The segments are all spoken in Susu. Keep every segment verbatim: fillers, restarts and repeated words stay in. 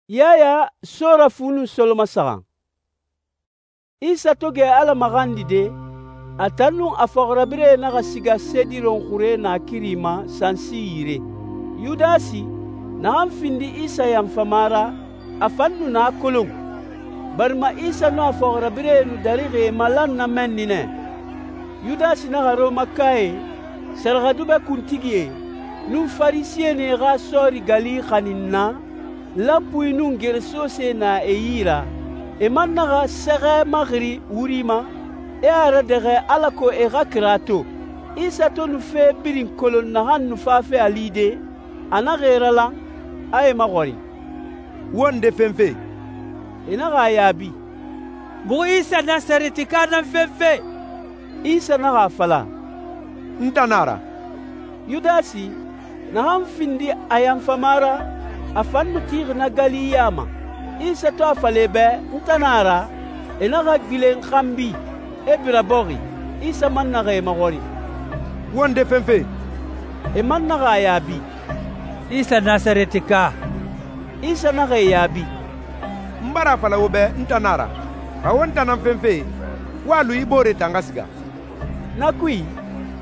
Yaya Sora fu nun solomasaxan. Isa to gɛ Ala maxandide, a tan nun a fɔxirabirɛe naxa siga Sediron xure naakiri ma sansi yire. Yudasi, naxan findi Isa yanfama ra, a fan nu na kolon, barima Isa nun a fɔxirabirɛe nu darixi e malan na mɛnni nɛ. Yudasi naxa Rɔmakae, sɛrɛxɛdubɛ kuntigie, nun Farisɛnie xa sɔɔri gali xanin na, lanpui nun geresose na e yi ra. E man naxa sɛxɛ maxiri wuri ma, e a radɛxɛ alako e xa kira to. Isa to nu fe birin kolon naxan nu fafe a lide, a naxa e ralan, a e maxɔrin, «Wo nde fenfe?» E naxa a yaabi, «Muxu Isa Nasaretika nan fenfe.» Isa naxa a fala, «N tan nan a ra.» Yudasi, naxan findi a yanfama ra, a fan nu tixi na gali ya ma. Isa to a fala e bɛ, «N tan nan a ra», e naxa gbilen xanbi, e bira bɔxi. Isa man naxa e maxɔrin, «Wo nde fenfe?» E man naxa a yaabi, «Isa Nasaretika.» Isa naxa e yaabi, «N bara a fala wo bɛ n tan nan a ra. Xa wo n tan nan fenfe, wo a lu i boore tan xa siga.» Na kui,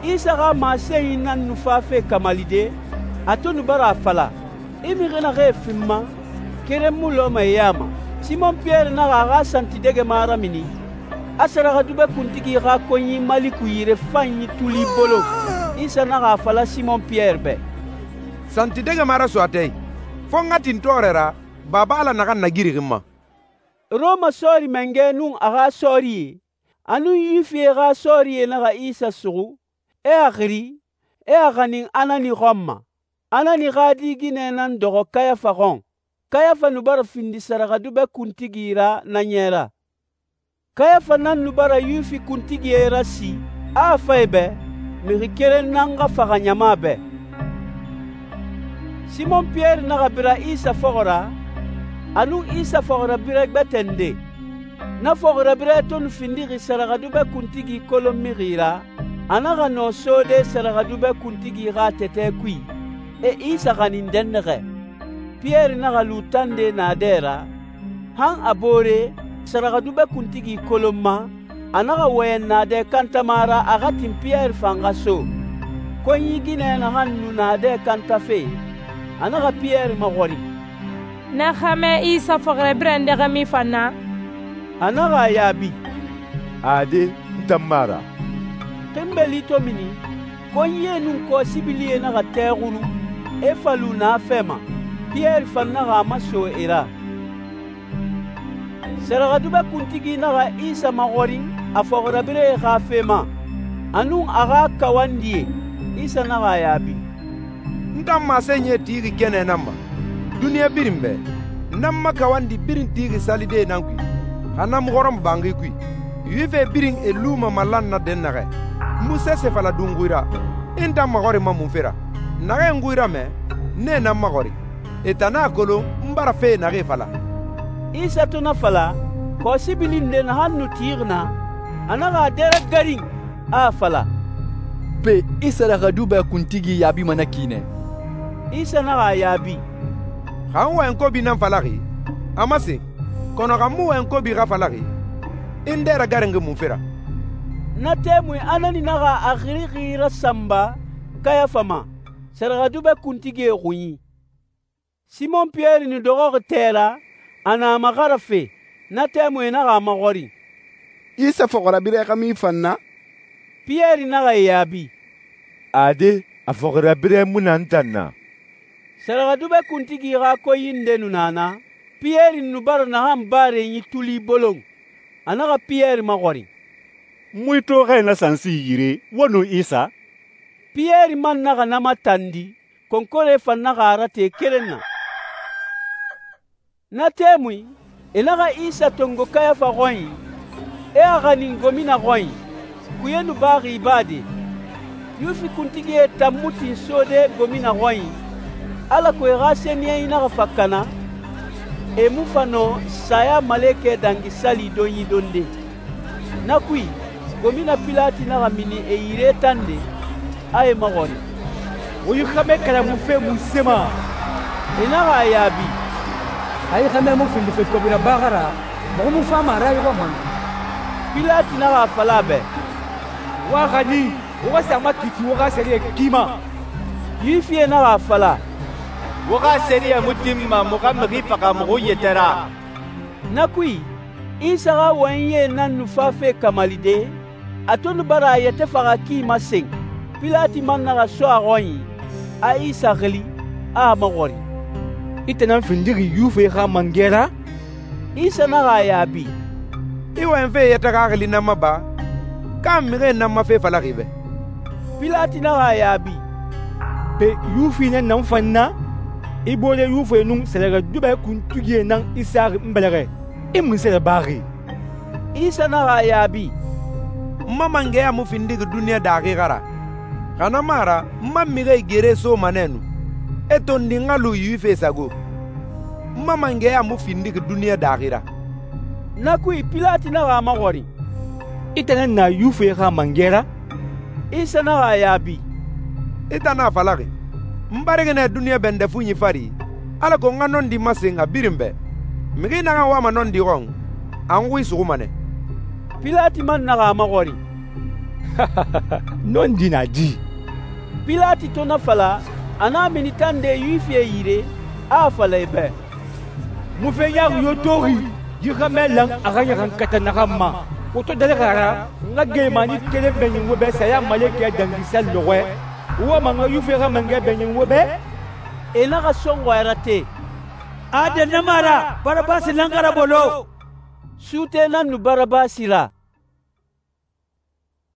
Isa xa masenyi nan nu fafe kamalide, a to nu bara a fala, «I mixi naxee fin ma, keren mu lɔma e ya ma.» Simon Piyɛri naxa a xa santidɛgɛma ramini, a sɛrɛxɛdubɛ kuntigi xa konyi Maliku yire fanyi tuli bolon. Isa naxa a fala Simon Piyɛri bɛ, «Santidɛgɛma raso a tɛ i, fo n xa tin tɔɔrɛ ra Baba Ala naxan nagirixi n ma.» Rɔma sɔɔri mangɛ nun a xa sɔɔrie, a nun Yuwifie xa sɔɔrie naxa Isa suxu, e a xiri, e a xanin Anani xɔn ma. Anani xa di ginɛ nan dɔxɔ Kayafa xɔn. Kayafa nu bara findi sɛrɛxɛdubɛ kuntigi ra na ɲɛ ra. Kayafa nan nu bara Yuwifi kuntigie rasi, a a fa e bɛ, mixi keren nan xa faxa ɲama bɛ. Simon Piyɛri naxa bira Isa fɔxɔ ra, a nun Isa fɔxirabirɛ gbɛtɛ nde. Na fɔxirabirɛ to nu findixi sɛrɛxɛdubɛ kuntigi kolon mixi ra, a naxa nɔ sode sɛrɛxɛdubɛ kuntigi xa tɛtɛ kui, e Isa xanin dɛnnaxɛ. Piyɛri naxa lu tande naadɛ ra, han a boore sɛrɛxɛdubɛ kuntigi kolon ma, a naxa wɔyɛn naadɛ kantama ra a xa tin Piyɛri fan xa so. Konyi ginɛ naxan nu naadɛ kantafe, a naxa Piyɛri maxɔrin, «Na xɛmɛ Isa fɔxirabirɛ ndɛxɛ min fan na?» A naxa a yaabi, «Ade, n tan mu a ra.» Xinbeli to mini, konyie nun kɔsibilie naxa tɛɛxunu, e fa lu naafɛ ma. Piyɛri fan naxa a maso e ra. Sɛrɛxɛdubɛ kuntigi naxa Isa maxɔrin a fɔxirabirɛe xa fe ma, a nun a xa kawandie. Isa naxa a yaabi, «N tan masenyie tixi kɛnɛ nan ma, duniɲa birin bɛ. Nan ma kawandi birin tixi salide nan kui, xa na mu xɔrɔn banxi kui. Yuwifie birin e luma malan na dɛnnaxɛ. N mu sɛsɛ fala du n xui ra, i n tan maxɔrinma mun fe ra? Naxee n xui ramɛ, nee nan maxɔrin. E tan a kolon n bara fee naxee fala.» Isa to na fala, kɔsibili nde naxan nu tixi na, a naxa a dɛrɛ garin, a a fala, «Pe i sɛrɛxɛdubɛ kuntigi yaabima na ki nɛ.» Isa naxa a yaabi, «Xa n wɔyɛn kobi nan falaxi, a masen, kɔnɔ xa n mu wɔyɛn kobi xa falaxi, i n dɛrɛ garenxi mun fe ra?» Na tɛmui Anani naxa a xirixi rasanba Kayafa ma, sɛrɛxɛdubɛ kuntigie xunyi. Simon Piyɛri nu dɔxɔxi tɛ ra, a na a maxarafe. Na tɛmui e naxa a maxɔrin, «Isa fɔxirabirɛ xa min fan na?» Piyɛri naxa e yaabi, «Ade, a fɔxirabirɛ mu na n tan na.» Sɛrɛxɛdubɛ kuntigi xa konyi nde nu na na, Piyɛri nu bara naxan barenyi tuli bolon. A naxa Piyɛri maxɔrin, «N mu i toxɛ na sansi yire, wo nun Isa?» Piyɛri man naxa na matandi, konkore fan naxa a rate keren na. Na tɛmui, e naxa Isa tongo Kayafa xɔnyi, e a xanin gomina xɔnyi. Kuye nu baxi ibade. Yuwifi kuntigie tan mu tin sode gomina xɔnyi, alako e xa sɛniyɛnyi naxa fa kana, e mu fa nɔ saya malekɛ dangi sali donyi donde. Na kui, gomina Pilati naxa mini e yire tande, a e maxɔrin, «Wo yi xɛmɛ kalamufe mun se ma?» E naxa a yaabi, a yi xɛmɛ mu findife kobi rabaxa ra, muxu mu fama a ra yi xɔma?» Pilati naxa a fala a bɛ, «Wo a xanin, wo xa sa a makiti wo xa sɛriyɛ ki ma.» Yuwifie naxa a fala, «Wo xa sɛriyɛ mu tinma muxu xa mixi faxa muxu yɛtɛ ra.» Na kui, Isa xa wɔyɛnyi nan nu fafe kamalide, a to nu bara a yɛtɛ faxa ki masen. Pilati man naxa so a xɔnyi, a Isa xili, a a maxɔrin, «I tan nan findixi Yuwifie xa mangɛ ra?» Isa naxa a yaabi, «I wɔyɛnfe yɛtɛ xaxili nan ma ba, ka mixie nan ma fe falaxi bɛ?» Pilati naxa a yaabi, «Pe Yuwifi nan na n fan na? I boore Yuwifie nun sɛrɛxɛdubɛ kuntigie nan i saxi n bɛlɛxɛ. I munse rabaxi?» Isa naxa a yaabi, «N ma mangɛya mu findixi duniɲa daaxi xa ra. Xa na mu a ra, n ma mixie gere soma nɛ nu, e tondi n xa lu Yuwifie sago. N ma mangɛya mu findixi duniɲa daaxi ra.» Na kui Pilati naxa a maxɔrin, «I tan nan na Yuwifie xa mangɛ ra?» Isa naxa a yaabi, «I tan n'a falaxi. N barixi nɛ duniɲa bɛndɛ fuɲi fari, alako n xa nɔndi masen a birin bɛ. Mixi naxan wama nɔndi xɔn, a n xui suxuma nɛ.» Pilati man naxa a maxɔrin, «Nɔndi na di?» Pilati to na fala, a n'a mini tande Yuwifie yire, a a fala e bɛ, «Mu fe ɲaaxi yo toxi yi xɛmɛ lan a xa ɲaxankata naxan ma. Wo to dalixi a ra, n xa gelemani kelen bɛɲin wo bɛ saya malekɛ dangisa lɔxɔɛ, wo ma n xa Yuwifie xa mangɛ bɛɲin wo bɛ?» E naxa sɔnxɔyara te. «A dɛnnɛma ra, Barabasi nan xa rabolo.» Suute nan nu Barabasi ra.